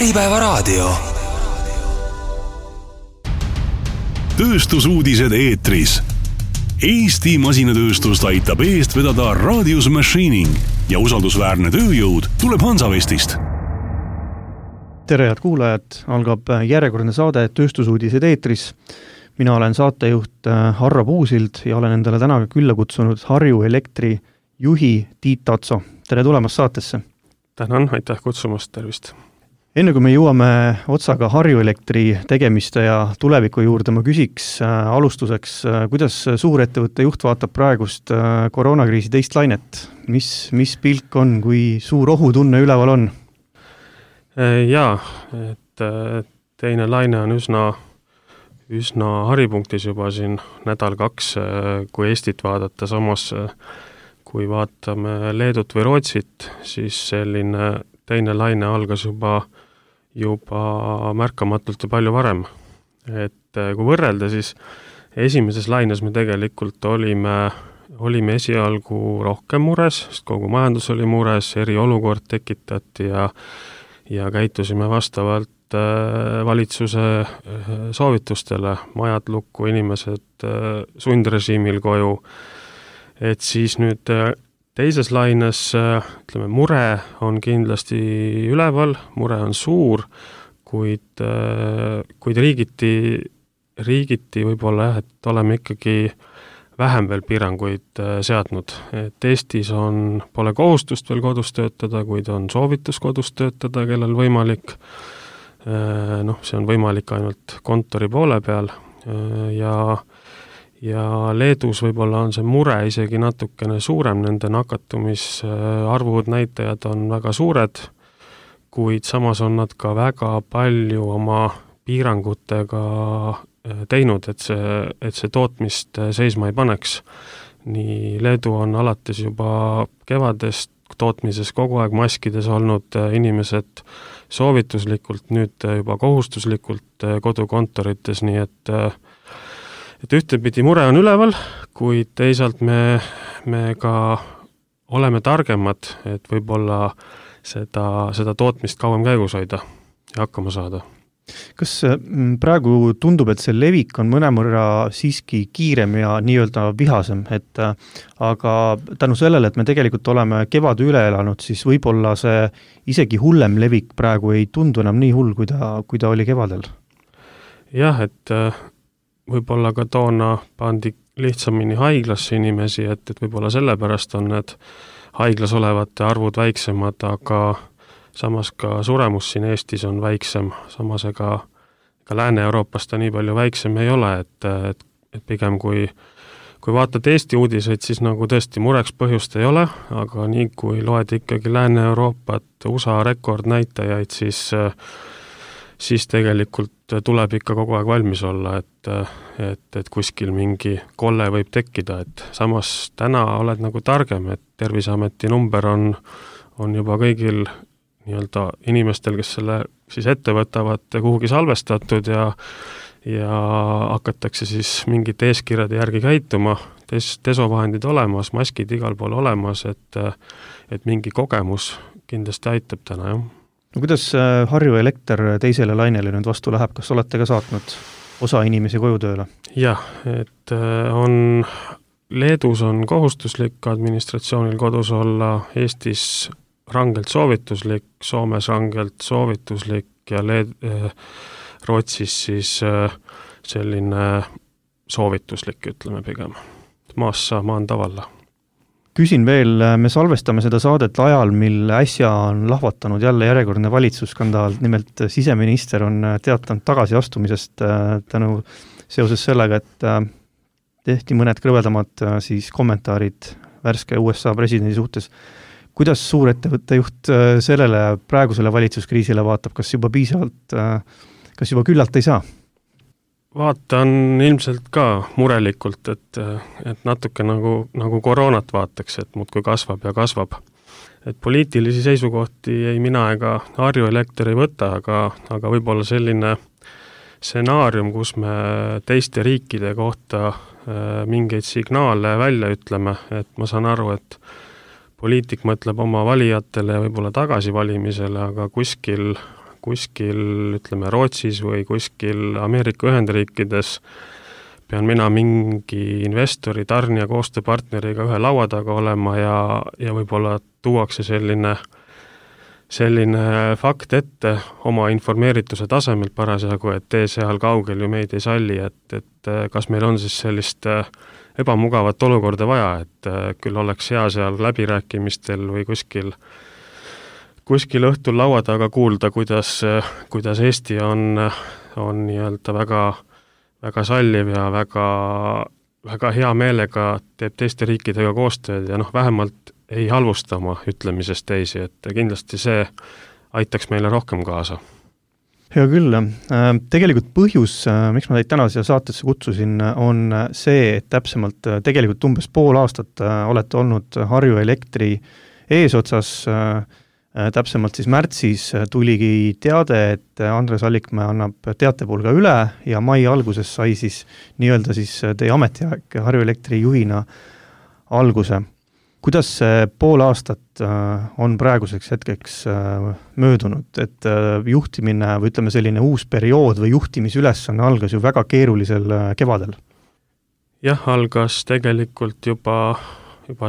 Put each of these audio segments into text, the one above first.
Äripäevaraadio. Tööstusuudised eetris. Eesti masinatööstust aitab eest vedada Radius Machining ja usaldusväärne tööjõud tuleb Hansavestist. Tere, head kuulajad! Algab järjekordne saade Tööstusuudised eetris. Mina olen saatejuht Harro Puusild ja olen endale täna külla kutsunud Harju Elektri juhi Tiit Tatso. Tere tulemast saatesse! Tänan, aitäh kutsumast, tervist! Enne kui me jõuame otsaga Harju Elektri tegemiste ja tuleviku juurde, ma küsiks alustuseks, kuidas suurettevõtte juht vaatab praegust koroonakriisi teist lainet? Mis pilk on, kui suur ohutunne üleval on? Jaa, et teine laine on üsna haripunktis juba siin nädal-kaks, kui Eestit vaadata. Samas, kui vaatame Leedut või Rootsit, siis selline teine laine algas juba märkamatult ja palju varem. Et kui võrrelda, siis esimeses laines me tegelikult olime esialgu rohkem mures, sest kogu majandus oli mures, eriolukord tekitati ja käitusime vastavalt valitsuse soovitustele, majad lukku, inimesed sundrežiimil koju. Et siis nüüd teises laines, ütleme, mure on kindlasti üleval, mure on suur, kuid riigiti võib-olla et oleme ikkagi vähem veel piiranguid seadnud. Et Eestis pole kohustust veel kodus töötada, kuid on soovitus kodus töötada, kellel võimalik. See on võimalik ainult kontori poole peal ja Leedus võib-olla on see mure isegi natukene suurem, nende nakatumisarvud näitajad on väga suured, kuid samas on nad ka väga palju oma piirangutega teinud, et see tootmist seisma ei paneks. Nii Leedu on alates juba kevadest tootmises kogu aeg maskides olnud inimesed soovituslikult, nüüd juba kohustuslikult kodukontorites, nii et ühtepidi mure on üleval, kuid teisalt me ka oleme targemad, et võib-olla seda tootmist kauem käigus hoida ja hakkama saada. Kas praegu tundub, et see levik on mõnemõrra siiski kiirem ja nii-öelda vihasem, aga tänu sellele, et me tegelikult oleme kevad üle elanud, siis võib-olla see isegi hullem levik praegu ei tundu enam nii hull, kui ta oli kevadel? Jah, et võib-olla ka toona pandi lihtsamini haiglasse inimesi, et võib-olla sellepärast on need haiglas olevate arvud väiksemad, aga samas ka suremus siin Eestis on väiksem, samas ega Lääne-Euroopas ta nii palju väiksem ei ole, et pigem kui vaatad Eesti uudiseid, siis nagu tõesti mureks põhjust ei ole, aga nii kui loed ikkagi Lääne-Euroopat, USA rekordnäitajaid, siis tegelikult tuleb ikka kogu aeg valmis olla, et kuskil mingi kolle võib tekkida, et samas täna oled nagu targem, et Terviseameti number on juba kõigil nii-öelda inimestel, kes selle siis ette võtavad, kuhugi salvestatud ja hakatakse siis mingite eeskirjade järgi käituma, desovahendid olemas, maskid igal pool olemas, et mingi kogemus kindlasti aitab täna, jah. No kuidas Harju Elekter teisele lainele nüüd vastu läheb? Kas olete ka saatnud osa inimesi koju tööle? Jah, et Leedus on kohustuslik administratsioonil kodus olla, Eestis rangelt soovituslik, Soomes rangelt soovituslik ja Rootsis siis selline soovituslik, ütleme pigem. Maassa maan tavalla. Küsin veel, me salvestame seda saadet ajal, mil äsja on lahvatanud jälle järjekordne valitsusskandaal, nimelt siseminister on teatanud tagasiastumisest seoses sellega, et tehti mõned krõvedamad siis kommentaarid värske USA presidendi suhtes. Kuidas suurettevõtte juht sellele praegusele valitsuskriisile vaatab, kas juba piisavalt, kas juba küllalt ei saa? Vaatan ilmselt ka murelikult, et natuke nagu koroonat vaataks, et muudkui kasvab ja kasvab. Et poliitilisi seisukohti ei mina ega Harju Elekter ei võta, aga võib-olla selline stsenaarium, kus me teiste riikide kohta mingeid signaale välja ütleme, et ma saan aru, et poliitik mõtleb oma valijatele ja võib-olla tagasivalimisele, aga kuskil kuskil, ütleme, Rootsis või kuskil Ameerika Ühendriikides pean mina mingi investori, tarnija, koostööpartneriga ühe laua taga olema ja võib-olla tuuakse selline fakt ette oma informeerituse tasemelt parasjagu, et tee seal kaugel ju meid ei salli, et kas meil on siis sellist ebamugavat olukorda vaja, et küll oleks hea seal läbirääkimistel või kuskil õhtul laua taga kuulda, kuidas Eesti on nii-öelda väga salliv ja väga hea meelega teeb teiste riikidega koostööd ja vähemalt ei halvusta oma ütlemisest teisi, et kindlasti see aitaks meile rohkem kaasa. Hea küll. Tegelikult põhjus, miks ma teid täna siia saatesse kutsusin, on see, et täpsemalt tegelikult umbes pool aastat olete olnud Harju Elektri eesotsas. Täpsemalt siis märtsis tuligi teade, et Andres Allikmäe annab teatepulga üle ja mai alguses sai siis nii-öelda siis teie ametiaeg Harju Elektri juhina alguse. Kuidas see pool aastat on praeguseks hetkeks möödunud, et juhtimine või ütleme selline uus periood või juhtimisülesanne algas ju väga keerulisel kevadel? Jah, algas tegelikult juba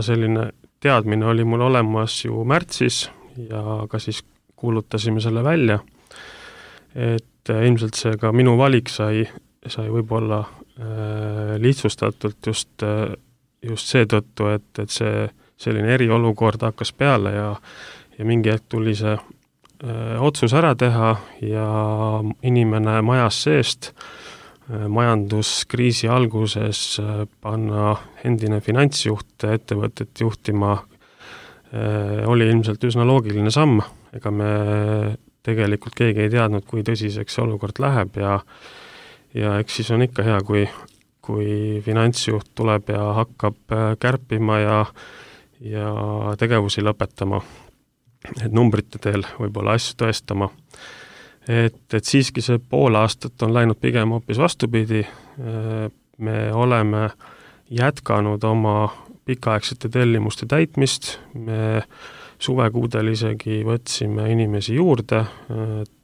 selline teadmine oli mul olemas ju märtsis ja ka siis kuulutasime selle välja, et ilmselt see ka minu valik sai võib-olla lihtsustatult just seetõttu, et see selline eriolukord hakkas peale ja mingi hetk tuli see otsus ära teha ja inimene majas seest majanduskriisi alguses panna endine finantsjuht ettevõtet juhtima oli ilmselt üsna loogiline samm, ega me tegelikult keegi ei teadnud, kui tõsiseks see olukord läheb ja eks siis on ikka hea, kui finantsjuht tuleb ja hakkab kärpima ja tegevusi lõpetama, et numbrite teel võib-olla asju tõestama. Et siiski see pool aastat on läinud pigem hoopis vastupidi. Me oleme jätkanud oma pikaaegsete tellimuste täitmist, me suvekuudel isegi võtsime inimesi juurde,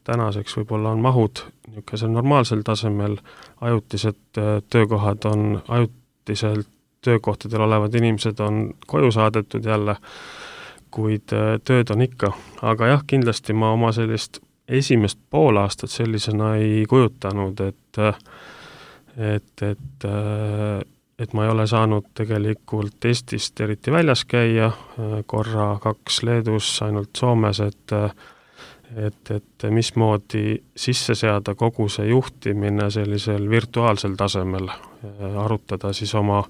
tänaseks võib-olla on mahud niisugusel normaalsel tasemel, ajutised töökohad on ajutiselt töökohtadel olevad inimesed on koju saadetud jälle, kuid tööd on ikka. Aga jah, kindlasti ma oma sellist esimest pool aastat sellisena ei kujutanud, et ma ei ole saanud tegelikult Eestist eriti väljas käia, korra 2 Leedus, ainult Soomes, et mismoodi sisse seada kogu see juhtimine sellisel virtuaalsel tasemel, arutada siis oma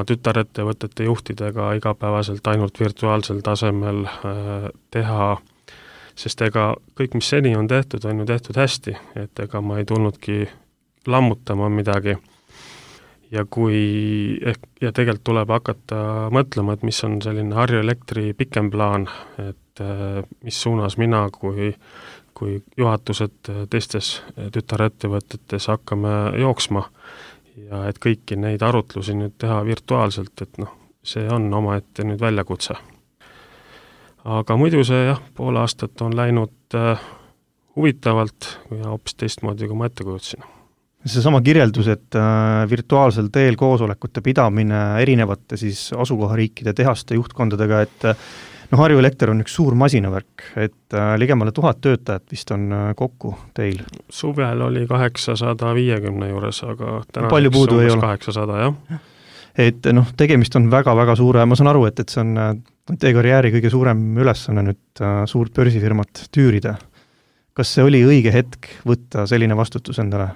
tütarettevõtete juhtidega igapäevaselt ainult virtuaalsel tasemel teha, sest ega kõik, mis seni on tehtud ju hästi, et ega ma ei tulnudki lammutama midagi. Ja tegelikult tuleb hakata mõtlema, et mis on selline Harju Elektri pikem plaan, et mis suunas mina kui juhatused teistes tütarettevõtetes hakkame jooksma. Ja et kõiki neid arutlusi nüüd teha virtuaalselt, et see on omaette nüüd väljakutse. Aga muidu see pool aastat on läinud huvitavalt ja hoopis teistmoodi, kui ma ette kujutasin. Seesama kirjeldus, et virtuaalsel teel koosolekute pidamine erinevate siis asukohariikide tehaste juhtkondadega, et Harju Elekter on üks suur masinavärk, et ligemale 1000 töötajat vist on kokku teil. Suvel oli 850 juures, aga täna palju puudu ei ole. 800, jah. Et tegemist on väga-väga suure, ma saan aru, et see on teie karjääri kõige suurem ülesanne nüüd suurt börsifirmat tüürida. Kas see oli õige hetk võtta selline vastutus endale?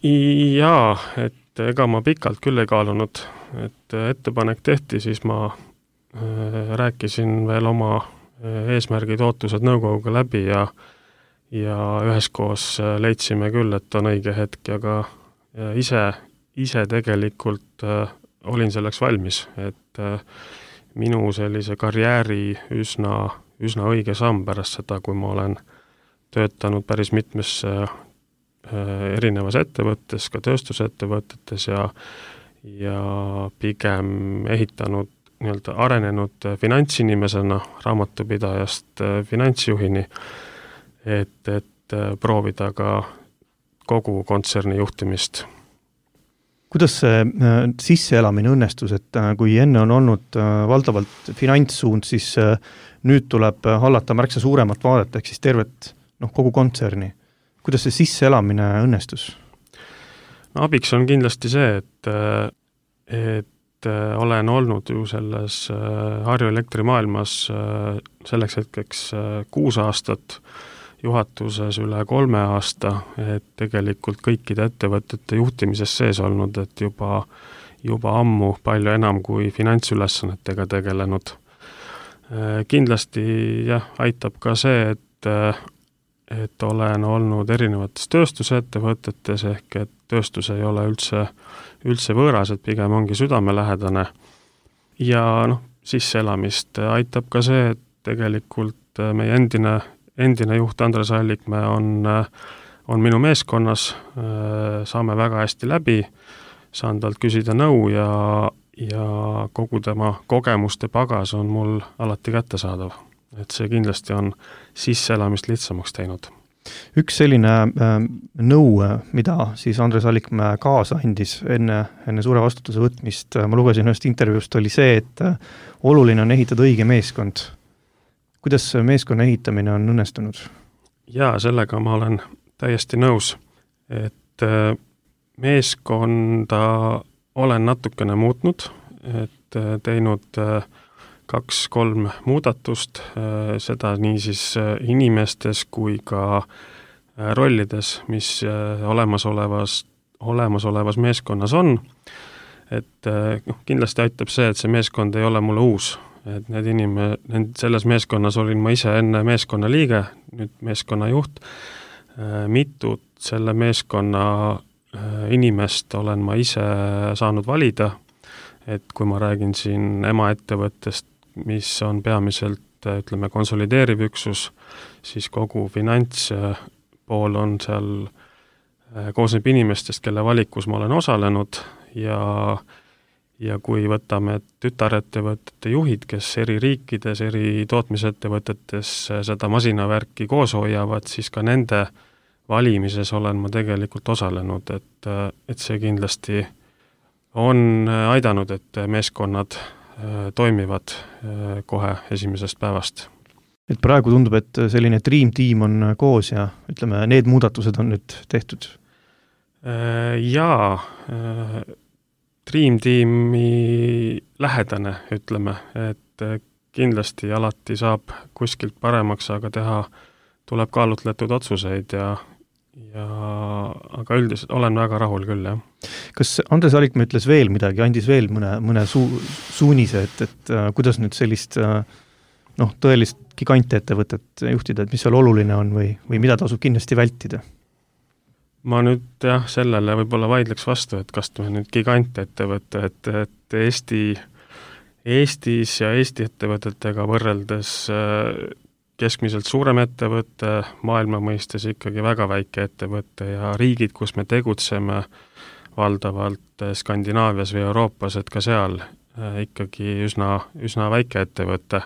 Jaa, et ega ma pikalt küll ei kaalunud, et ettepanek tehti, siis ma rääkisin veel oma eesmärgid, ootused nõukoguga läbi ja üheskoos leidsime küll, et on õige hetk ja ka ise tegelikult olin selleks valmis, et minu sellise karjääri üsna õige samm pärast seda, kui ma olen töötanud päris mitmes erinevas ettevõttes, ka tööstusettevõtetes ja pigem ehitanud nii-öelda arenenud finantsinimesena raamatupidajast finantsjuhini, et proovida ka kogu kontserni juhtimist. Kuidas see sisseelamine õnnestus, et kui enne on olnud valdavalt finantssuund, siis nüüd tuleb hallata märksa suuremat vaadet, ehk siis tervet kogu kontserni. Kuidas see sisseelamine õnnestus? No, abiks on kindlasti see, et olen olnud ju selles Harju elektrimaailmas selleks hetkeks 6 aastat, juhatuses üle 3 aasta, et tegelikult kõikide ettevõtete juhtimises sees olnud, et juba ammu palju enam kui finantsülesannetega tegelenud. Kindlasti aitab ka see, et olen olnud erinevates tööstusettevõtetes, ehk et tööstus ei ole üldse võõras, et pigem ongi südamelähedane. Ja sisseelamist aitab ka see, et tegelikult meie endine juht Andres Allikmäe on minu meeskonnas, saame väga hästi läbi, saan talt küsida nõu ja kogu tema kogemuste pagas on mul alati kättesaadav. Et see kindlasti on sisseelamist lihtsamaks teinud. Üks selline nõu, mida siis Andres Allikmäe kaasa andis enne suure vastutuse võtmist, ma lugesin ühest intervjuust, oli see, et oluline on ehitada õige meeskond. Kuidas meeskonna ehitamine on õnnestunud? Jaa, sellega ma olen täiesti nõus, et meeskonda olen natukene muutnud, et teinud 2-3 muudatust, seda nii siis inimestes kui ka rollides, mis olemasolevas meeskonnas on. Et kindlasti aitab see, et see meeskond ei ole mulle uus. Et selles meeskonnas olin ma ise enne meeskonna liige, nüüd meeskonna juht. Mitut selle meeskonna inimest olen ma ise saanud valida, et kui ma räägin siin emaettevõttest, mis on peamiselt, konsolideeriv üksus, siis kogu finantspool on seal koosneb inimestest, kelle valikus ma olen osalenud ja kui võtame tütarettevõtete juhid, kes eri riikides, eri tootmisettevõtetes seda masinavärki koos hoiavad, siis ka nende valimises olen ma tegelikult osalenud, et see kindlasti on aidanud, et meeskonnad toimivad kohe esimesest päevast. Et praegu tundub, et selline Dream Team on koos ja need muudatused on nüüd tehtud? Jaa, Dream Teami lähedane, et kindlasti alati saab kuskilt paremaks, aga teha tuleb kaalutletud otsuseid aga üldiselt olen väga rahul küll, jah. Kas Andres Allikmäe ütles veel midagi, andis veel mõne suunise, et kuidas nüüd sellist tõelist gigantettevõtet juhtida, et mis seal oluline on või mida tasub kindlasti vältida? Ma nüüd sellele võib-olla vaidleks vastu, et kas me nüüd gigantettevõte, et Eestis ja Eesti ettevõtetega võrreldes keskmiselt suurem ettevõte, maailma mõistes ikkagi väga väike ettevõte ja riigid, kus me tegutseme valdavalt Skandinaavias või Euroopas, et ka seal ikkagi üsna väike ettevõte.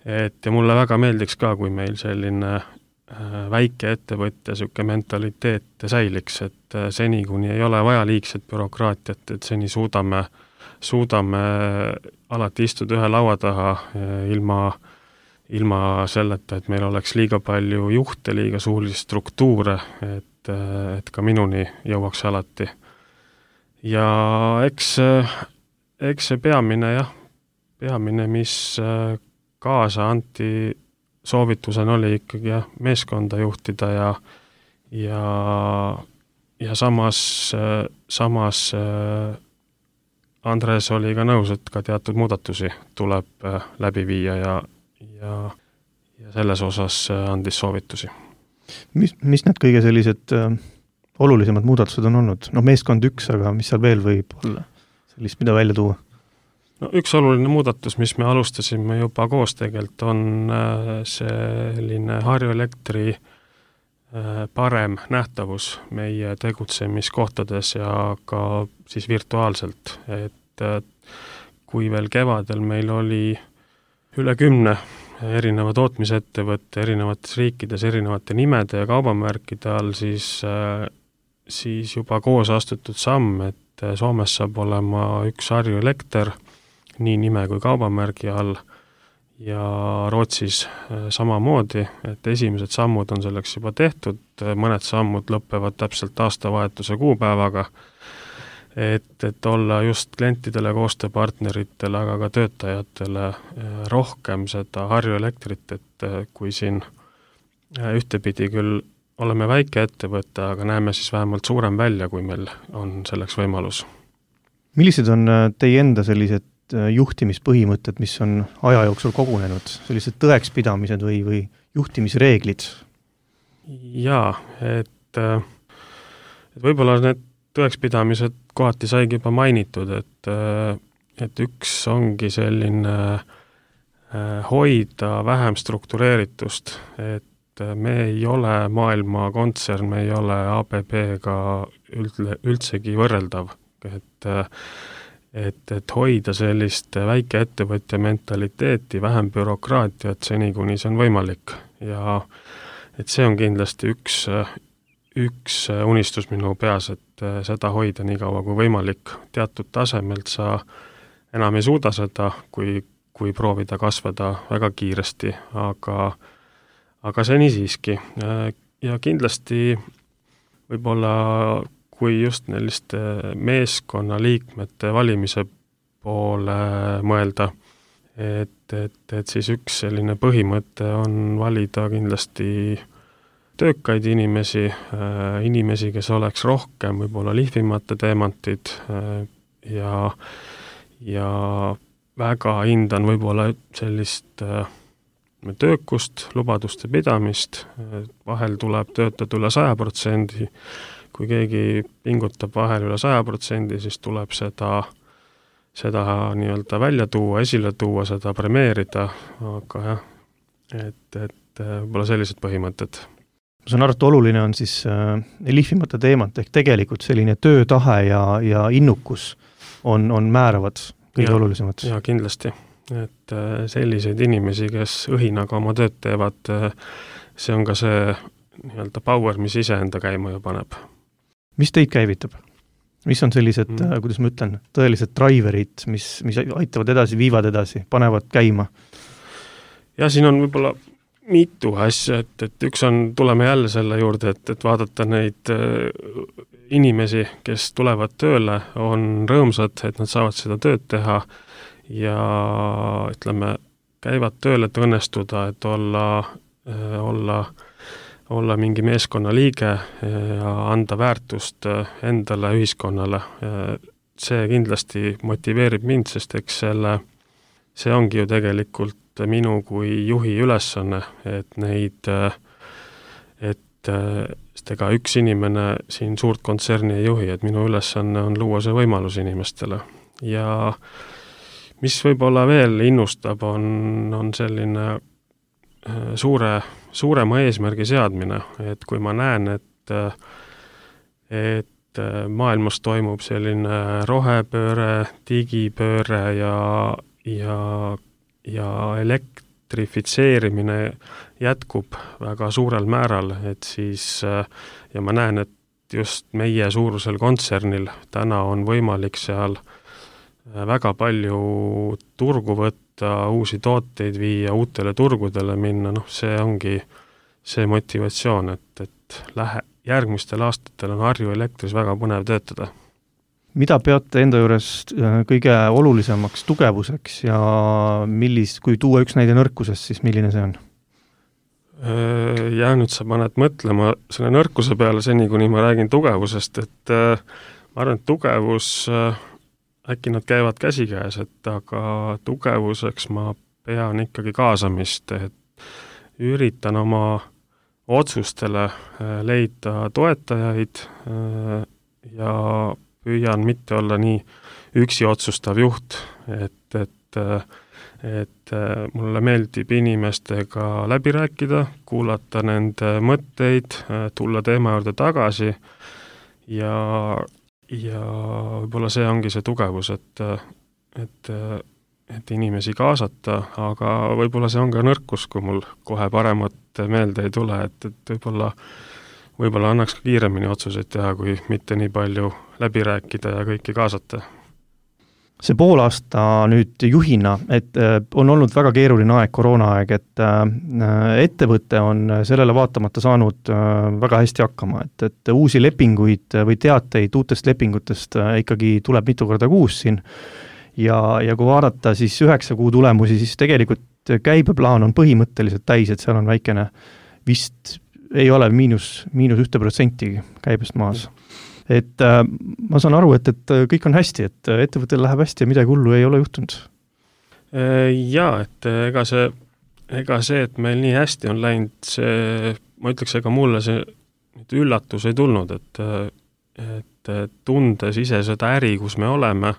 Ja mulle väga meeldiks ka, kui meil selline väike ettevõtte selline mentaliteet säiliks, et seni, kuni ei ole vaja liigset bürokraatiat, et seni suudame alati istuda ühe laua taha ilma selleta, et meil oleks liiga palju juhte, liiga suuri struktuure, et ka minuni jõuaks alati. Ja eks see peamine, mis kaasa anti soovitusena oli ikkagi meeskonda juhtida ja samas Andres oli ka nõus, et ka teatud muudatusi tuleb läbi viia ja selles osas andis soovitusi. Mis need kõige sellised olulisemad muudatused on olnud? Meeskond üks, aga mis seal veel võib olla sellist, mida välja tuua? Üks oluline muudatus, mis me alustasime juba koos tegelikult, on selline Harju Elektri parem nähtavus meie tegutsemiskohtades ja ka siis virtuaalselt, et kui veel kevadel meil oli üle 10 erineva tootmisettevõtte erinevates riikides erinevate nimede ja kaubamärkide all, siis juba koos astutud samm, et Soomes saab olema üks Harju Elekter nii nime kui kaubamärgi all ja Rootsis samamoodi, et esimesed sammud on selleks juba tehtud, mõned sammud lõppevad täpselt aastavahetuse kuupäevaga, et olla just klientidele, koostööpartneritele, aga ka töötajatele rohkem seda Harju Elektrit, et kui siin ühtepidi küll oleme väike ettevõte, aga näeme siis vähemalt suurem välja, kui meil on selleks võimalus. Millised on teie enda sellised juhtimispõhimõtted, mis on aja jooksul kogunenud, sellised tõekspidamised või juhtimisreeglid? Jaa, et võib-olla need tõekspidamised kohati saigi juba mainitud, et üks ongi selline hoida vähem struktureeritust, et me ei ole maailma kontsern, me ei ole ABB-ga üldsegi võrreldav, et hoida sellist väikeettevõtja mentaliteeti, vähem bürokraatiat seni, kuni see on võimalik. Ja et see on kindlasti üks unistus minu peas, et seda hoida nii kaua kui võimalik. Teatud tasemelt sa enam ei suuda seda, kui proovida kasvada väga kiiresti, aga seni siiski. Ja kindlasti võib-olla, kui just selliste meeskonnaliikmete valimise poole mõelda, et siis üks selline põhimõte on valida kindlasti töökaid inimesi, kes oleks rohkem võib-olla lihvimata teemantid ja väga hindan võib-olla sellist töökust, lubaduste pidamist, vahel tuleb töötada üle 100%, kui keegi pingutab vahel üle 100%, siis tuleb seda nii-öelda välja tuua, esile tuua, seda premeerida, aga jah, et võib-olla sellised põhimõtted. Ma saan aru, et oluline on siis lihvimata teemat, ehk tegelikult selline töötahe ja innukus on määravad kõige olulisemad. Ja kindlasti. Et selliseid inimesi, kes õhinaga oma tööd teevad, see on ka see nii-öelda power, mis iseenda käima ju paneb. Mis teid käivitab? Mis on sellised, kuidas ma ütlen, tõelised driverid, mis aitavad edasi, viivad edasi, panevad käima? Ja siin on võib-olla mitu asja, et üks on, tuleme jälle selle juurde, et vaadata neid inimesi, kes tulevad tööle, on rõõmsad, et nad saavad seda tööd teha ja ütleme, käivad tööle, et õnnestuda, et olla mingi meeskonna liige ja anda väärtust endale, ühiskonnale. See kindlasti motiveerib mind, sest eks see ongi ju tegelikult minu kui juhi ülesanne, et ega üks inimene siin suurt kontserni ei juhi, et minu ülesanne on luua see võimalus inimestele. Ja mis võib-olla veel innustab, on selline suurema eesmärgi seadmine, et kui ma näen, et maailmas toimub selline rohepööre, digipööre ja elektrifitseerimine jätkub väga suurel määral, et siis ja ma näen, et just meie suurusel kontsernil täna on võimalik seal väga palju turgu võtta, uusi tooteid viia, uutele turgudele minna, see ongi see motivatsioon, et järgmistel aastatel on Harju Elektris väga põnev töötada. Mida peate enda juures kõige olulisemaks tugevuseks ja kui tuua üks näide nõrkusest, siis milline see on? Ja nüüd sa paned mõtlema selle nõrkuse peale seni, kuni ma räägin tugevusest, et ma arvan, et tugevus äkki nad käivad käsikäes, aga tugevuseks ma pean ikkagi kaasamist, et üritan oma otsustele leida toetajaid ja püüan mitte olla nii üksi otsustav juht, et mulle meeldib inimestega läbi rääkida, kuulata nende mõtteid, tulla teema juurde tagasi ja võib-olla see ongi see tugevus, et et inimesi kaasata, aga võib-olla see on ka nõrkus, kui mul kohe paremat meelde ei tule, et võib-olla annaks ka kiiremini otsuseid teha, kui mitte nii palju läbi rääkida ja kõiki kaasata. See pool aasta nüüd juhina, et on olnud väga keeruline aeg, koroonaaeg, et ettevõte on sellele vaatamata saanud väga hästi hakkama, et uusi lepinguid või teateid uutest lepingutest ikkagi tuleb mitu korda kuus siin ja kui vaadata siis 9 kuu tulemusi, siis tegelikult käibeplaan on põhimõtteliselt täis, et seal on väikene, vist ei ole miinus 1% käibest maas. Et ma saan aru, et kõik on hästi, et ettevõttel läheb hästi ja midagi hullu ei ole juhtunud. Jaa, et ega see, et meil nii hästi on läinud, see, ma ütleks, ega mulle see üllatus ei tulnud, et tundes ise seda äri, kus me oleme,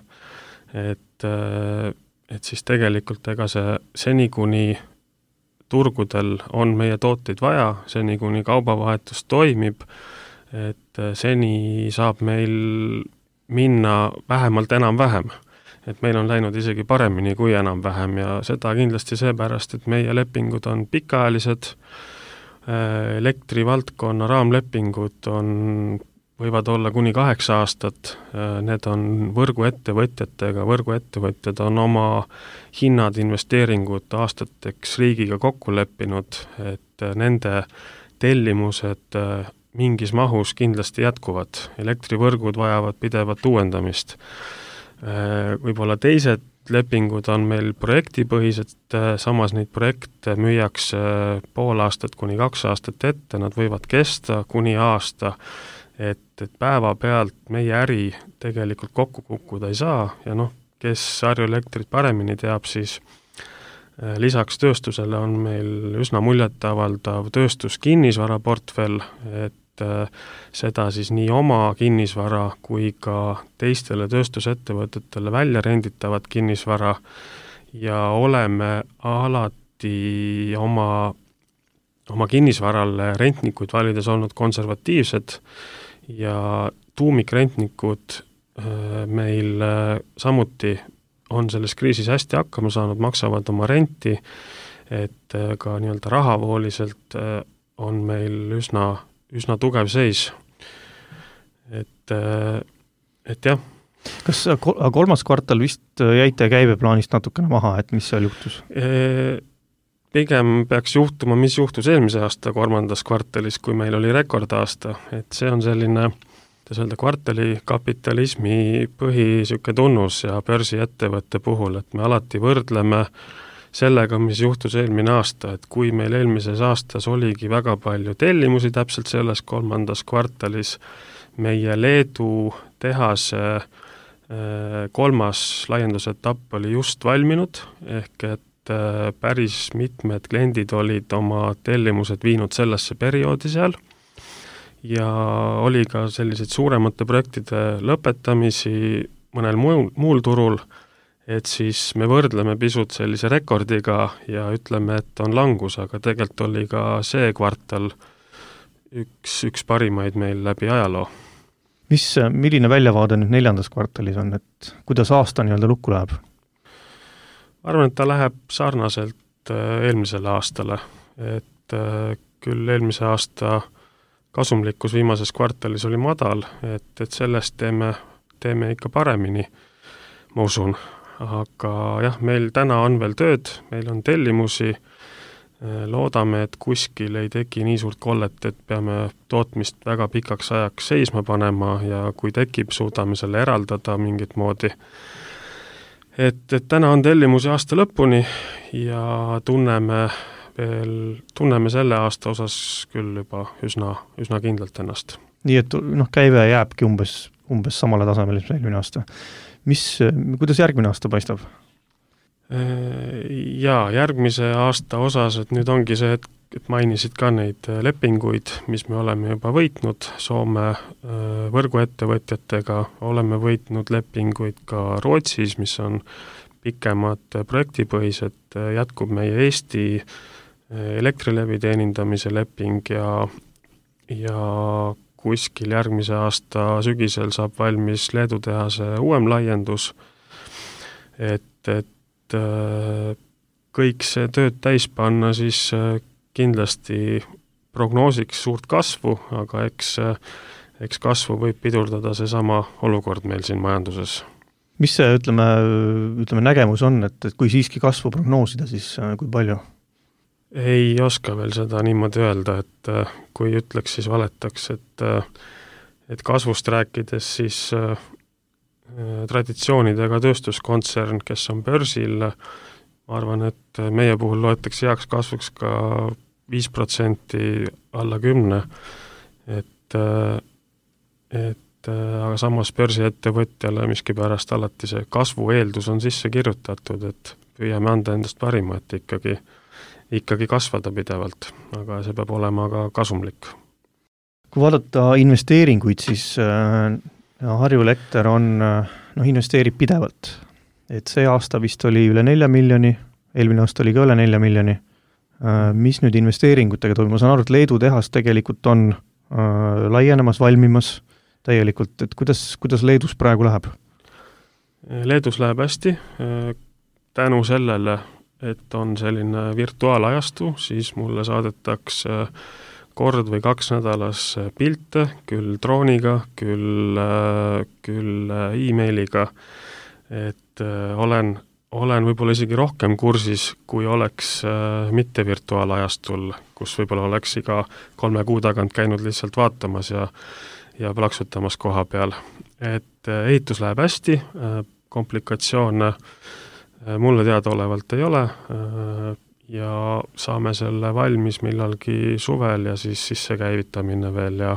et siis tegelikult ega see seni, kuni turgudel on meie tooteid vaja, seni, kuni kaubavahetus toimib, et seni saab meil minna vähemalt enam-vähem. Et meil on läinud isegi paremini kui enam-vähem ja seda kindlasti seepärast, et meie lepingud on pikaajalised, elektrivaldkonna raamlepingud võivad olla kuni 8 aastat, need on võrguettevõtjatega, võrguettevõtjad on oma hinnad, investeeringud aastateks riigiga kokku leppinud, et nende tellimused mingis mahus kindlasti jätkuvad. Elektrivõrgud vajavad pidevat uuendamist. Võib-olla teised lepingud on meil projektipõhised, samas neid projekte müüakse pool aastat kuni 2 aastat ette, nad võivad kesta kuni aasta, et päeva pealt meie äri tegelikult kokku kukkuda ei saa ja kes Harju Elektrit paremini teab, siis lisaks tööstusele on meil üsna muljetavaldav tööstuskinnisvaraportfell, et seda siis nii oma kinnisvara kui ka teistele tööstusettevõtetele välja renditavat kinnisvara ja oleme alati oma kinnisvarale rentnikuid valides olnud konservatiivsed ja tuumikrentnikud meil samuti on selles kriisis hästi hakkama saanud, maksavad oma renti, et ka nii-öelda rahavooliselt on meil üsna tugev seis. Et jah. Kas kolmas kvartal vist jäite käibeplaanist natukene maha, et mis seal juhtus? Pigem peaks juhtuma, mis juhtus eelmise aasta 3. kvartalis, kui meil oli rekordaasta, et see on selline kvartali kapitalismi põhisuke tunnus ja börsiettevõtte puhul, et me alati võrdleme sellega, mis juhtus eelmine aasta, et kui meil eelmises aastas oligi väga palju tellimusi täpselt selles 3. kvartalis, meie Leedu tehase 3. laiendusetapp oli just valminud, ehk et päris mitmed kliendid olid oma tellimused viinud sellesse perioodi seal ja oli ka selliseid suuremate projektide lõpetamisi mõnel muul turul, et siis me võrdleme pisut sellise rekordiga ja ütleme, et on langus, aga tegelikult oli ka see kvartal üks parimaid meil läbi ajaloo. Milline väljavaade nüüd 4. kvartalis on, et kuidas aasta nii-öelda lukku läheb? Arvan, et ta läheb sarnaselt eelmisele aastale, et küll eelmise aasta kasumlikkus viimases kvartalis oli madal, et sellest teeme ikka paremini, ma usun. Aga jah, meil täna on veel tööd, meil on tellimusi, loodame, et kuskil ei teki nii suurt kollet, et peame tootmist väga pikaks ajaks seisma panema ja kui tekib, suudame selle eraldada mingit moodi. Et täna on tellimusi aasta lõpuni ja tunneme selle aasta osas küll juba üsna kindlalt ennast. Nii et käive jääbki umbes samale tasemele eelmine aasta. Kuidas järgmine aasta paistab? Jaa, järgmise aasta osas, et nüüd ongi see, et mainisid ka neid lepinguid, mis me oleme juba võitnud Soome võrguettevõtjatega, oleme võitnud lepinguid ka Rootsis, mis on pikemad projektipõhised, jätkub meie Eesti Elektrilevi teenindamise leping ja kuskil järgmise aasta sügisel saab valmis Leedu tehase uuem laiendus, et kõik see tööd täis panna, siis kindlasti prognoosiks suurt kasvu, aga eks kasvu võib pidurdada seesama olukord meil siin majanduses. Mis see, ütleme nägemus on, et kui siiski kasvu prognoosida, siis kui palju? Ei oska veel seda niimoodi öelda, et kui ütleks, siis valetaks, et kasvust rääkides siis traditsioonidega tööstuskontsern, kes on börsil, ma arvan, et meie puhul loetakse heaks kasvuks ka 5% alla 10%, aga samas börsiettevõtjale miskipärast alati see kasvu eeldus on sisse kirjutatud, et püüame anda endast parima, et ikkagi kasvada pidevalt, aga see peab olema ka kasumlik. Kui vaadata investeeringuid, siis Harju Elekter investeerib pidevalt. Et see aasta vist oli üle 4 miljoni, eelmine aasta oli ka üle 4 miljoni. Mis nüüd investeeringutega toimub? Ma saan aru, et Leedu tehas tegelikult on laienemas, valmimas täielikult, et kuidas Leedus praegu läheb? Leedus läheb hästi, tänu sellele, et on selline virtuaalajastu, siis mulle saadetakse kord või 2 nädalas pilte, küll drooniga, küll e-mailiga, et olen võib-olla isegi rohkem kursis, kui oleks mitte virtuaalajastul, kus võib-olla oleks iga 3 kuu tagant käinud lihtsalt vaatamas ja plaksutamas koha peal. Et ehitus läheb hästi, komplikatsioone mulle teadaolevalt ei ole ja saame selle valmis millalgi suvel ja siis sissekäivitamine veel ja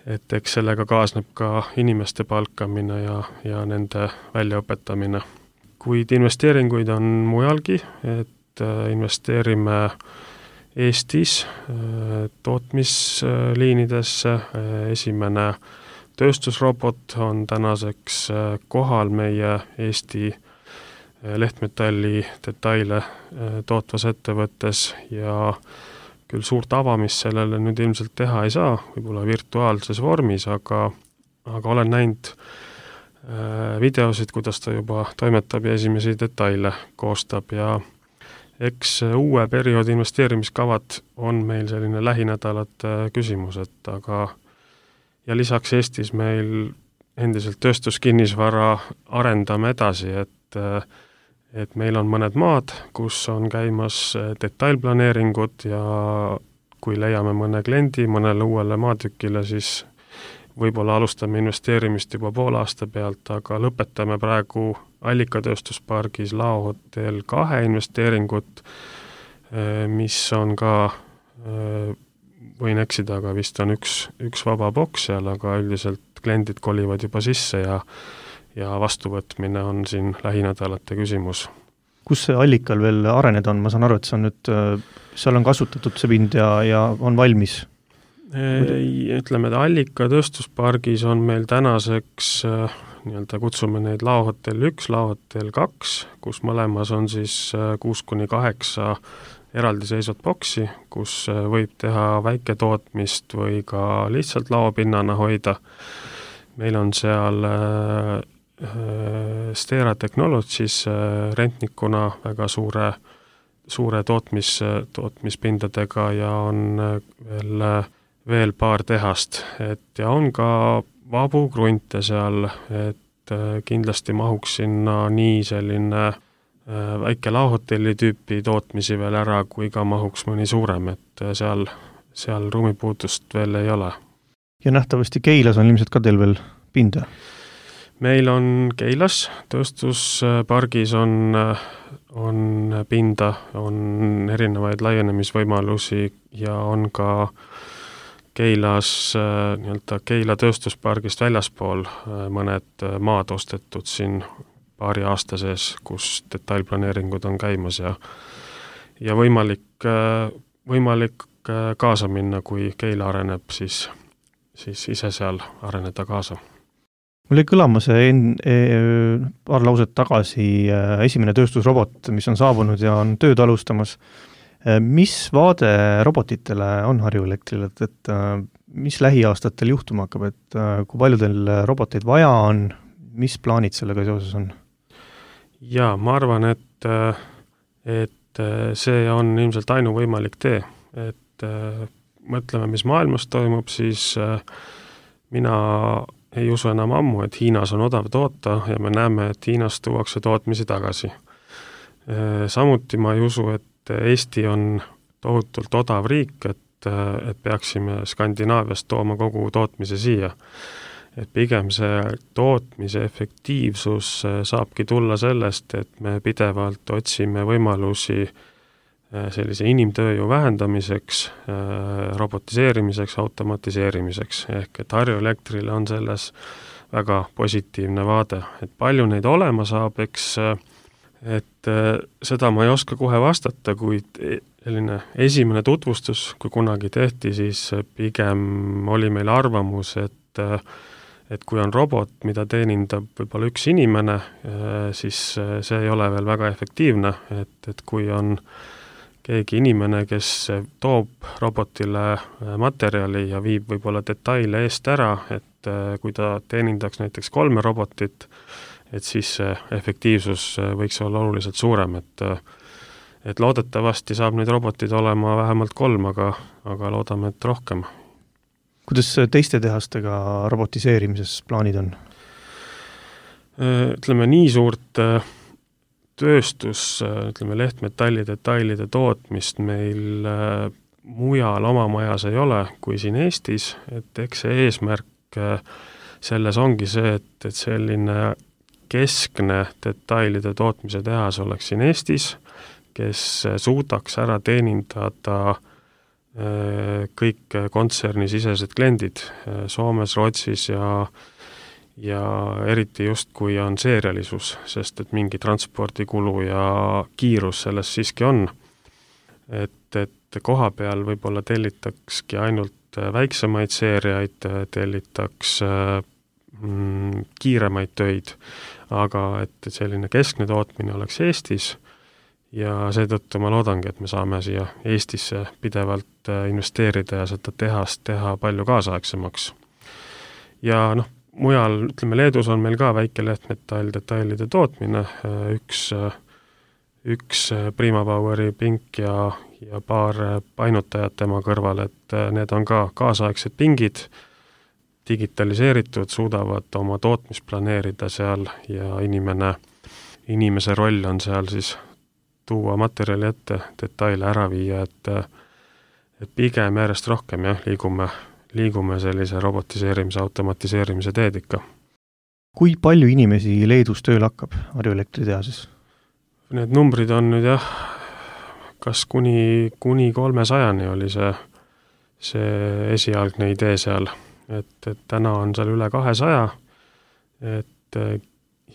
et eks sellega kaasneb ka inimeste palkamine ja nende väljaõpetamine. Kuid investeeringuid on mujalgi, et investeerime Eestis tootmisliinidesse. Esimene tööstusrobot on tänaseks kohal meie Eesti lehtmetalli detaile tootvas ettevõttes ja küll suurt avamist sellele nüüd ilmselt teha ei saa, võib-olla virtuaalses vormis, aga olen näinud videosid, kuidas ta juba toimetab ja esimesi detaile koostab ja eks uue perioodi investeerimiskavad on meil selline lähinädalate küsimus, ja lisaks Eestis meil endiselt tööstuskinnisvara arendame edasi, et meil on mõned maad, kus on käimas detailplaneeringud ja kui leiame mõne kliendi mõnele uuele maatükile, siis võib-olla alustame investeerimist juba poole aasta pealt, aga lõpetame praegu Allikatööstuspargis Laohotel 2 investeeringut, mis on ka, võin eksida, aga vist on üks vaba boks seal, aga üldiselt kliendid kolivad juba sisse ja vastuvõtmine on siin lähinädalate küsimus. Kus see Allikal veel areneda on? Ma saan aru, et see on nüüd, seal on kasutatud see pind ja on valmis. Ütleme, et Allika tööstuspargis on meil tänaseks kutsume neid Laohotel 1, Laohotel 2, kus mõlemas on siis 6-8 eraldiseisvat boksi, kus võib teha väiketootmist või ka lihtsalt laopinnana hoida. Meil on seal Stera Technologies rentnikuna väga suure tootmispindadega ja on veel paar tehast, ja on ka vabu grunte seal, et kindlasti mahuks sinna nii selline väike laohotelli tüüpi tootmisi veel ära, kui ka mahuks mõni suurem, et seal ruumipuudust veel ei ole. Ja nähtavasti Keilas on ilmselt ka teil veel pinda? Meil on Keilas, tööstuspargis on pinda, on erinevaid laienemisvõimalusi ja on ka Keilas, Keila tööstuspargist väljaspool mõned maad ostetud siin paari aasta sees, kus detailplaneeringud on käimas ja võimalik kaasa minna, kui Keila areneb, siis ise seal areneda kaasa. Mul jäi kõlama see paar lauset tagasi esimene tööstusrobot, mis on saabunud ja on tööd alustamas. Mis vaade robotitele on Harju Elektril, et mis lähiaastatel juhtuma hakkab, et kui palju teil roboteid vaja on, mis plaanid sellega seoses on? Jaa, ma arvan, et see on ilmselt ainuvõimalik tee, et mõtleme, mis maailmas toimub, siis mina ei usu enam ammu, et Hiinas on odav toota ja me näeme, et Hiinast tuuakse tootmisi tagasi. Samuti ma ei usu, et Eesti on tohutult odav riik, et peaksime Skandinaaviast tooma kogu tootmise siia. Et pigem see tootmise efektiivsus saabki tulla sellest, et me pidevalt otsime võimalusi sellise inimtööjõu vähendamiseks, robotiseerimiseks, automatiseerimiseks, ehk et Harju Elektrile on selles väga positiivne vaade. Et palju neid olema saab, eks, et seda ma ei oska kohe vastata, kuid selline esimene tutvustus, kui kunagi tehti, siis pigem oli meil arvamus, et kui on robot, mida teenindab võib-olla üks inimene, siis see ei ole veel väga efektiivne, et kui on keegi inimene, kes toob robotile materjali ja viib võib-olla detaile eest ära, et kui ta teenindaks näiteks 3 robotit, et siis see efektiivsus võiks olla oluliselt suurem, et loodetavasti saab neid robotid olema vähemalt 3, aga loodame, et rohkem. Kuidas teiste tehastega robotiseerimises plaanid on? Ütleme, nii suurt tööstus, ütleme, lehtmetalli detailide tootmist meil mujal oma majas ei ole kui siin Eestis, et eks see eesmärk selles ongi see, et selline keskne detailide tootmise tehas oleks siin Eestis, kes suudaks ära teenindada kõik kontsernisisesed kliendid Soomes, Rootsis ja eriti just, kui on seerialisus, sest et mingi transpordikulu ja kiirus selles siiski on. Et koha peal võib-olla tellitakski ainult väiksemaid seeriaid, tellitaks kiiremaid töid, aga et selline keskne tootmine oleks Eestis ja seetõttu ma loodangi, et me saame siia Eestisse pidevalt investeerida ja seda tehast teha palju kaasaegsemaks. Ja mujal, ütleme, Leedus on meil ka väike lehtmetall detailide tootmine, üks Primapoweri pink ja paar painutajat tema kõrval, et need on ka kaasaegsed pingid, digitaliseeritud, suudavad oma tootmist planeerida seal ja inimese roll on seal siis tuua materjali ette, detaile ära viia, et pigem järjest rohkem liigume sellise robotiseerimise, automatiseerimise teed ikka. Kui palju inimesi Leedus tööl hakkab Harju Elektritehases? Need numbrid on nüüd kas kuni 300-ni oli see esialgne idee seal, et täna on seal üle 200,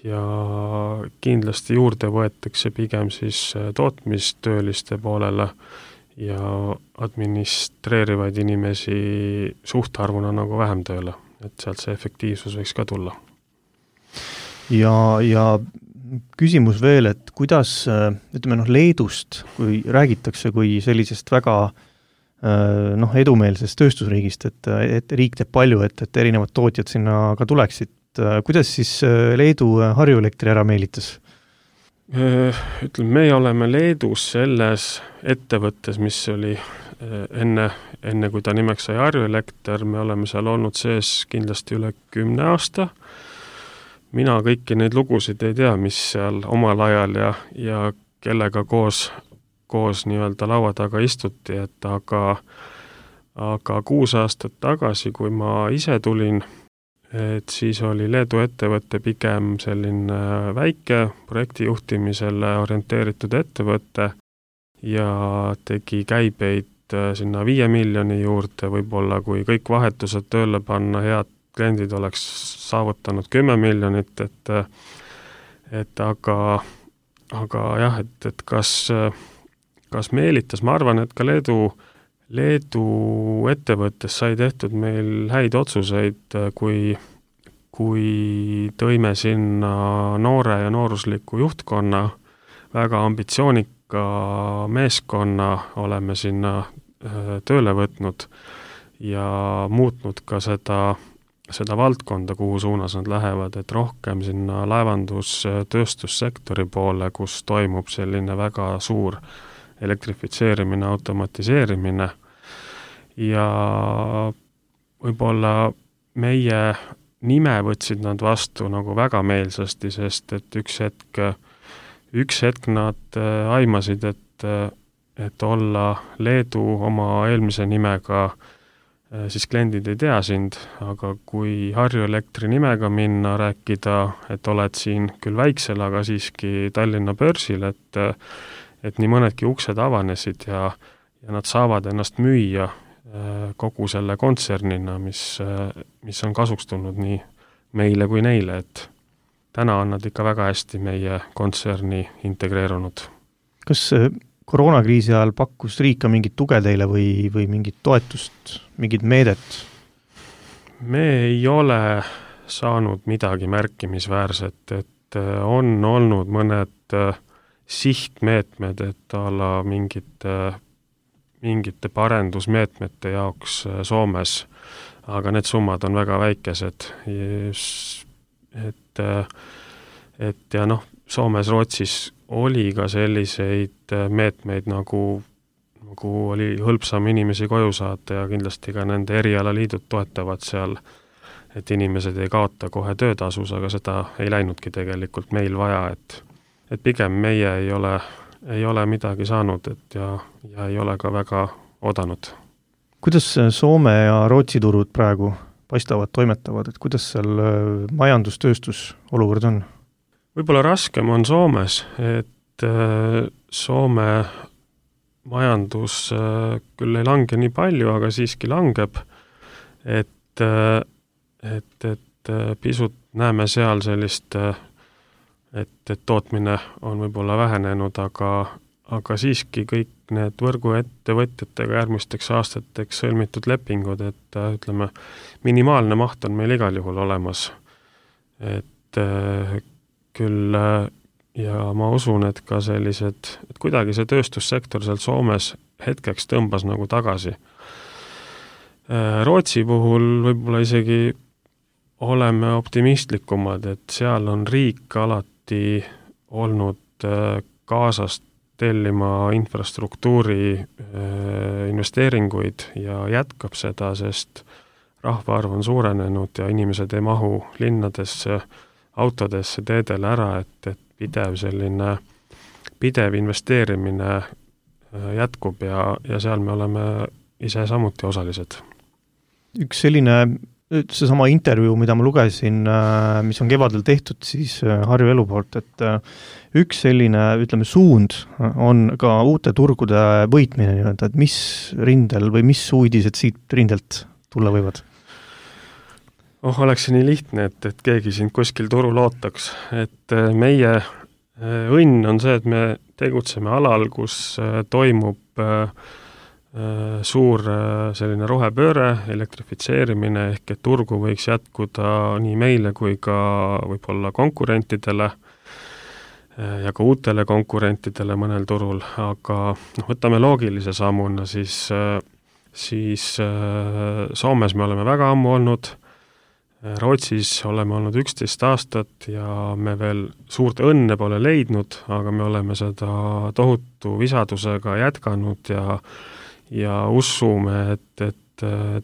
ja kindlasti juurde võetakse pigem siis tootmistööliste poolele ja administreerivaid inimesi suhtarvuna nagu vähem tööle, et sealt see efektiivsus võiks ka tulla. Ja küsimus veel, et kuidas, ütleme Leedust, kui räägitakse kui sellisest väga edumeelsest tööstusriigist, et riik teeb palju, et erinevad tootjad sinna ka tuleksid, kuidas siis Leedu Harju Elektri ära meelitas? Ütleme, me oleme Leedus selles ettevõttes, mis oli enne kui ta nimeks sai Harju Elekter, me oleme seal olnud sees kindlasti üle 10 aasta. Mina kõiki neid lugusid ei tea, mis seal omal ajal ja kellega koos nii-öelda laua taga istuti, et aga 6 aastat tagasi, kui ma ise tulin, et siis oli Leedu ettevõte pigem selline väike projektijuhtimisele orienteeritud ettevõte ja tegi käibeid sinna 5 miljoni juurde, võib-olla kui kõik vahetused tööle panna, head kliendid oleks saavutanud 10 miljonit, et aga jah, et kas meelitas, ma arvan, et ka Leedu ettevõttes sai tehtud meil häid otsuseid, kui tõime sinna noore ja noorusliku juhtkonna, väga ambitsioonika meeskonna oleme sinna tööle võtnud ja muutnud ka seda seda valdkonda, kuhu suunas nad lähevad, et rohkem sinna laevandus-tööstussektori poole, kus toimub selline väga suur elektrifitseerimine, automatiseerimine ja võib-olla meie nime võtsid nad vastu nagu väga meelsasti, sest et üks hetk nad aimasid, et olla Leedu oma eelmise nimega, siis kliendid ei tea sind, aga kui Harju Elektri nimega minna, rääkida, et oled siin küll väiksel, aga siiski Tallinna börsil, et nii mõnedki uksed avanesid ja nad saavad ennast müüa kogu selle kontsernina, mis on kasuks tulnud nii meile kui neile, et täna on nad ikka väga hästi meie kontserni integreerunud. Kas koroonakriisi ajal pakkus riik ka mingit tuge teile või mingit toetust, mingit meedet? Me ei ole saanud midagi märkimisväärset, et on olnud mõned sihtmeetmed, et ala mingite parendusmeetmete jaoks Soomes, aga need summad on väga väikesed. Et ja noh, Soomes, Rootsis oli ka selliseid meetmeid, nagu oli hõlpsam inimesi koju saata ja kindlasti ka nende erialaliidud toetavad seal, et inimesed ei kaota kohe töötasus, aga seda ei läinudki tegelikult meil vaja, et pigem meie ei ole midagi saanud, ja ei ole ka väga odanud. Kuidas Soome ja Rootsi turud praegu paistavad, toimetavad, et kuidas seal majandustööstus olukord on? Võib-olla raskem on Soomes, et Soome majandus küll ei lange nii palju, aga siiski langeb, et pisut näeme seal sellist, et tootmine on võib-olla vähenenud, aga siiski kõik need võrguettevõtjatega järgmisteks aastateks sõlmitud lepingud, et ütleme, minimaalne maht on meil igal juhul olemas. Et küll ja ma usun, et ka sellised, et kuidagi see tööstussektor seal Soomes hetkeks tõmbas nagu tagasi. Rootsi puhul võib-olla isegi oleme optimistlikumad, et seal on riik alati olnud kaasast tellima infrastruktuuri investeeringuid ja jätkab seda, sest rahvaarv on suurenenud ja inimesed ei mahu linnadesse, autodesse, teedele ära, et pidev investeerimine jätkub ja seal me oleme ise samuti osalised. Üks selline, seesama intervjuu, mida ma lugesin, mis on kevadel tehtud siis Harju Elu poolt, et üks selline, ütleme, suund on ka uute turgude võitmine, et mis rindel või mis uudised siit rindelt tulla võivad? Oleks see nii lihtne, et keegi siin kuskil turul ootaks, et meie õnn on see, et me tegutseme alal, kus toimub suur selline rohepööre, elektrifitseerimine, ehk et turgu võiks jätkuda nii meile kui ka võib-olla konkurentidele ja ka uutele konkurentidele mõnel turul, aga võtame loogilise sammuna, siis Soomes me oleme väga ammu olnud, Rootsis oleme olnud 11 aastat ja me veel suurt õnne pole leidnud, aga me oleme seda tohutu visadusega jätkanud ja usume, et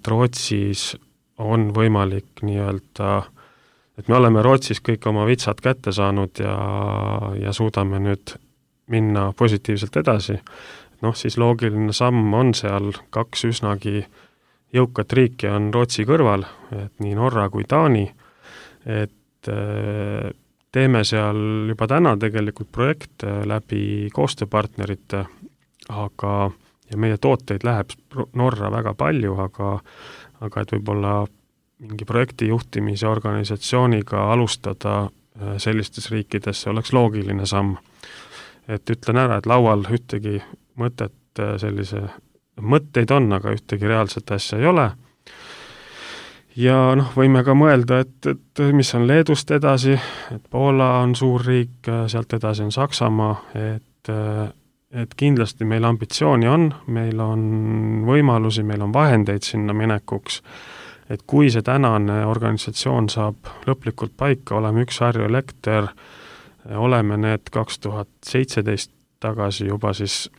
Rootsis on võimalik nii-öelda, et me oleme Rootsis kõik oma vitsad kätte saanud ja suudame nüüd minna positiivselt edasi. Siis loogiline samm on seal 2 üsnagi jõukat riiki on Rootsi kõrval, et nii Norra kui Taani, et teeme seal juba täna tegelikult projekte läbi koostööpartnerite, ja meie tooteid läheb Norra väga palju, aga et võib-olla mingi projekti juhtimise organisatsiooniga alustada sellistes riikides, see oleks loogiline samm. Et ütlen ära, et laual ühtegi mõtteid on, aga ühtegi reaalset asja ei ole. Ja võime ka mõelda, et mis on Leedust edasi, et Poola on suur riik, sealt edasi on Saksamaa, et kindlasti meil ambitsiooni on, meil on võimalusi, meil on vahendeid sinna minekuks, et kui see tänane organisatsioon saab lõplikult paika, oleme üks Harju Elekter, oleme need 2017 tagasi juba siis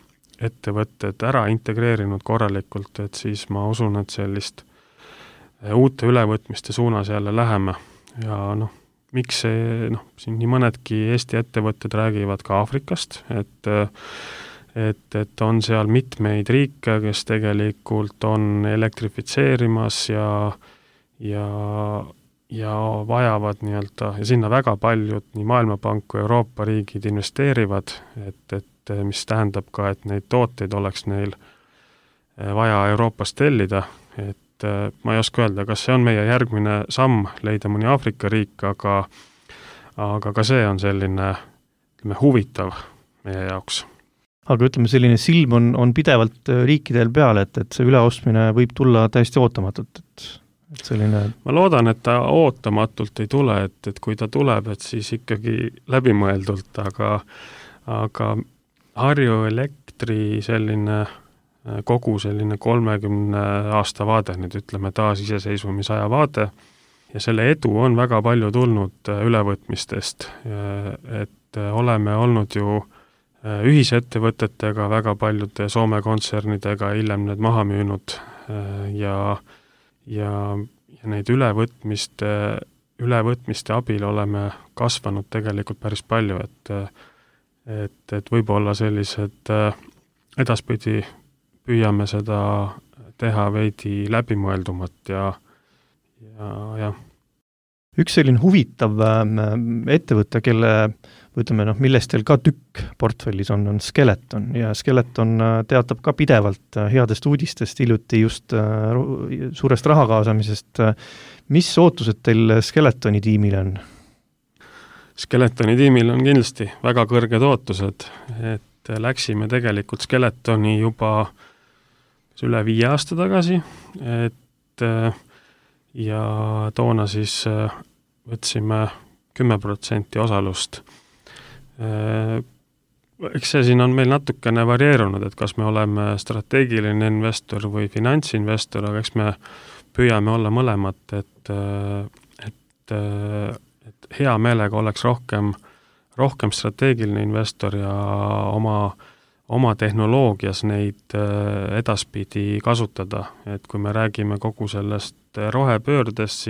ettevõtted ära integreerinud korralikult, et siis ma usun, et sellist uute ülevõtmiste suunas jälle läheme ja miks see, siin nii mõnedki Eesti ettevõtted räägivad ka Aafrikast, et on seal mitmeid riike, kes tegelikult on elektrifitseerimas ja vajavad nii-öelda, ja sinna väga paljud nii Maailmapank kui Euroopa riigid investeerivad, et mis tähendab ka, et neid tooteid oleks neil vaja Euroopast tellida, et ma ei oska öelda, kas see on meie järgmine samm leida mõni Aafrika riik, aga ka see on selline huvitav meie jaoks. Aga ütleme, selline silm on pidevalt riikidel peal, et see üleostmine võib tulla täiesti ootamatult, et selline... Ma loodan, et ta ootamatult ei tule, et kui ta tuleb, et siis ikkagi läbimõeldult, aga Harju Elektri selline kogu selline 30 aasta vaade, nüüd ütleme taasiseseisvumisaja vaade, ja selle edu on väga palju tulnud ülevõtmistest, et oleme olnud ju ühisettevõtetega, väga paljude Soome kontsernidega hiljem need maha müünud ja neid ülevõtmiste abil oleme kasvanud tegelikult päris palju, et võib-olla sellised edaspidi püüame seda teha veidi läbimõeldumat ja. Üks selline huvitav ettevõte, millest teil ka tükk portfellis on Skeleton ja Skeleton teatab ka pidevalt headest uudistest, hiljuti just suurest raha kaasamisest. Mis ootused teil Skeletoni tiimil on? Skeletoni tiimil on kindlasti väga kõrged ootused, et läksime tegelikult Skeletoni juba üle 5 aasta tagasi, ja toona siis võtsime 10% osalust. Eks see siin on meil natukene varieerunud, et kas me oleme strateegiline investor või finantsinvestor, aga eks me püüame olla mõlemat, et hea meelega oleks rohkem strateegiline investor ja oma tehnoloogias neid edaspidi kasutada, et kui me räägime kogu sellest rohepöördest,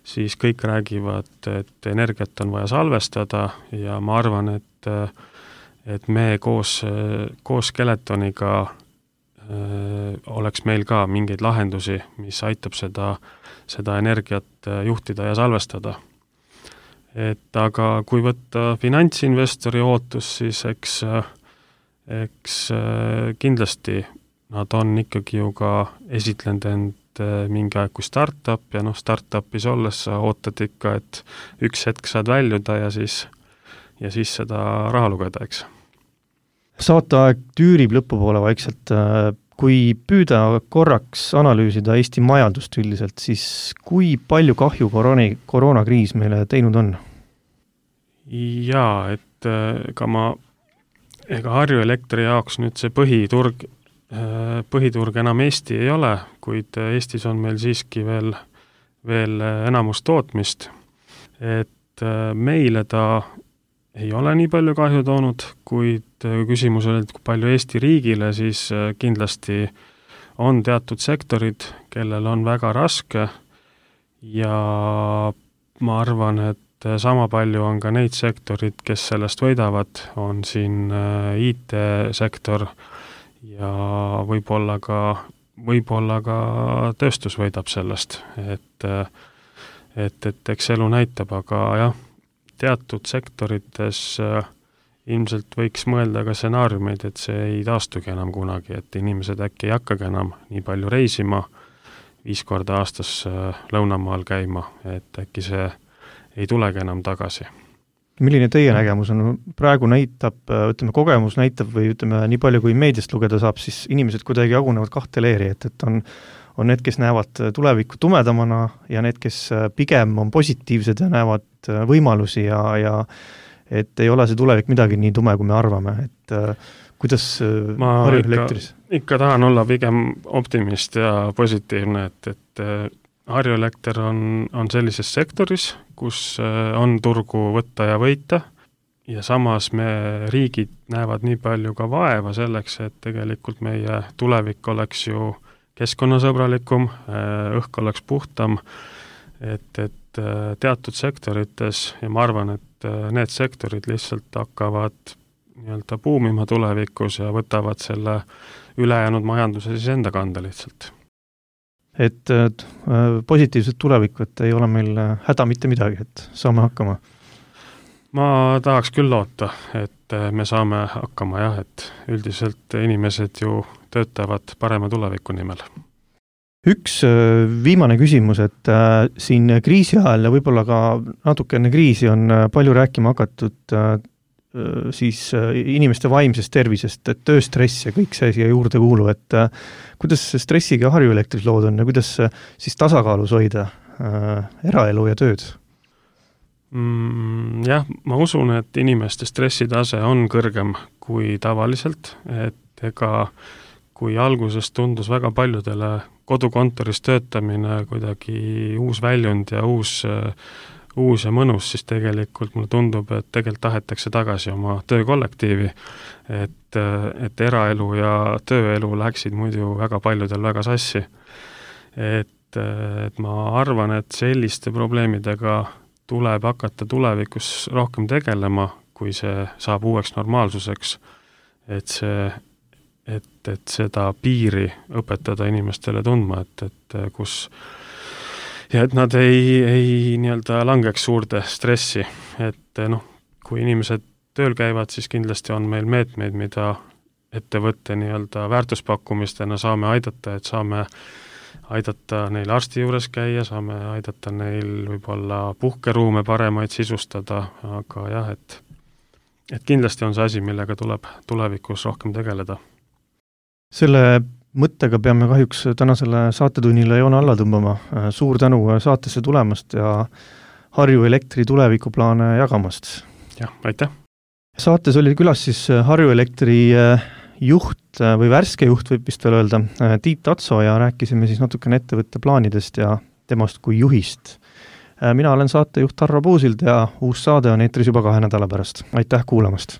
siis kõik räägivad, et energiat on vaja salvestada ja ma arvan, et me koos Skeletoniga oleks meil ka mingeid lahendusi, mis aitab seda energiat juhtida ja salvestada. Aga kui võtta finantsinvestori ootus, siis eks kindlasti nad on ikkagi ju ka esitlenud end mingi aeg kui startup ja startupis olles sa ootad ikka, et üks hetk saad väljuda ja siis seda raha lugeda, eks. Saateaeg tüürib lõpupoole vaikselt. Kui püüda korraks analüüsida Eesti majandust üldiselt, siis kui palju kahju koroonakriis meile teinud on? Jaa, et ega Harju Elektri jaoks nüüd see põhiturg enam Eesti ei ole, kuid Eestis on meil siiski veel enamus tootmist, et meile ta ei ole nii palju kahju toonud, kuid küsimus oli, et kui palju Eesti riigile, siis kindlasti on teatud sektorid, kellel on väga raske ja ma arvan, et sama palju on ka neid sektorid, kes sellest võidavad, on siin IT-sektor ja võib-olla ka tööstus võidab sellest, et eks elu näitab, aga jah, teatud sektorites ilmselt võiks mõelda ka stsenaariumeid, et see ei taastugi enam kunagi, et inimesed äkki ei hakkagi enam nii palju reisima, 5 korda aastas lõunamaal käima, et äkki see ei tulegi enam tagasi. Milline teie nägemus on? Praegu näitab, kogemus näitab või nii palju kui meediast lugeda saab, siis inimesed kuidagi jagunevad 2 leeri, et on need, kes näevad tulevikku tumedamana ja need, kes pigem on positiivsed ja näevad võimalusi ja et ei ole see tulevik midagi nii tume, kui me arvame, et kuidas Harju Elektris? Ikka tahan olla pigem optimist ja positiivne, et Harju Elekter on sellises sektoris, kus on turgu võtta ja võita, ja samas riigid näevad nii palju ka vaeva selleks, et tegelikult meie tulevik oleks ju keskkonnasõbralikum, õhk oleks puhtam, et teatud sektorites, ja ma arvan, et need sektorid lihtsalt hakkavad nii-öelda buumima tulevikus ja võtavad selle ülejäänud majanduse siis enda kanda lihtsalt. Et positiivset tulevikku, et ei ole meil häda mitte midagi, et saame hakkama? Ma tahaks küll loota, et me saame hakkama jah, et üldiselt inimesed ju töötavad parema tuleviku nimel. Üks viimane küsimus, et siin kriisi ajal ja võib-olla ka natuke enne kriisi on palju rääkima hakatud siis inimeste vaimsest tervisest, et tööstress ja kõik see siia juurde kuulu, et kuidas stressiga Harju Elektris lood on ja kuidas siis tasakaalus hoida eraelu ja tööd? Jah, ma usun, et inimeste stressitase on kõrgem kui tavaliselt, et ega kui alguses tundus väga paljudele kodukontoris töötamine kuidagi uus väljund ja uus ja mõnus, siis tegelikult mulle tundub, et tegelikult tahetakse tagasi oma töökollektiivi, et eraelu ja tööelu läksid muidu väga paljudel väga sassi. Et ma arvan, et selliste probleemidega tuleb hakata tulevikus rohkem tegelema, kui see saab uueks normaalsuseks, et seda piiri õpetada inimestele tundma, et kus ja et nad ei nii-öelda langeks suurde stressi, et kui inimesed tööl käivad, siis kindlasti on meil meetmeid, mida ettevõtte nii-öelda väärtuspakkumistena saame aidata, et saame aidata neil arsti juures käia, saame aidata neil võib-olla puhkeruume paremaid sisustada, aga jah, et kindlasti on see asi, millega tuleb tulevikus rohkem tegeleda. Selle mõttega peame kahjuks tänasele saatetunnile joone alla tõmbama. Suur tänu saatesse tulemast ja Harju Elektri tulevikuplaane jagamast. Jah, aitäh! Saates oli külas siis Harju Elektri juht või värske juht, võib vist veel öelda, Tiit Tatso, ja rääkisime siis natukene ettevõtte plaanidest ja temast kui juhist. Mina olen saatejuht Harro Puusild ja uus saade on eetris juba 2 nädala pärast. Aitäh kuulamast!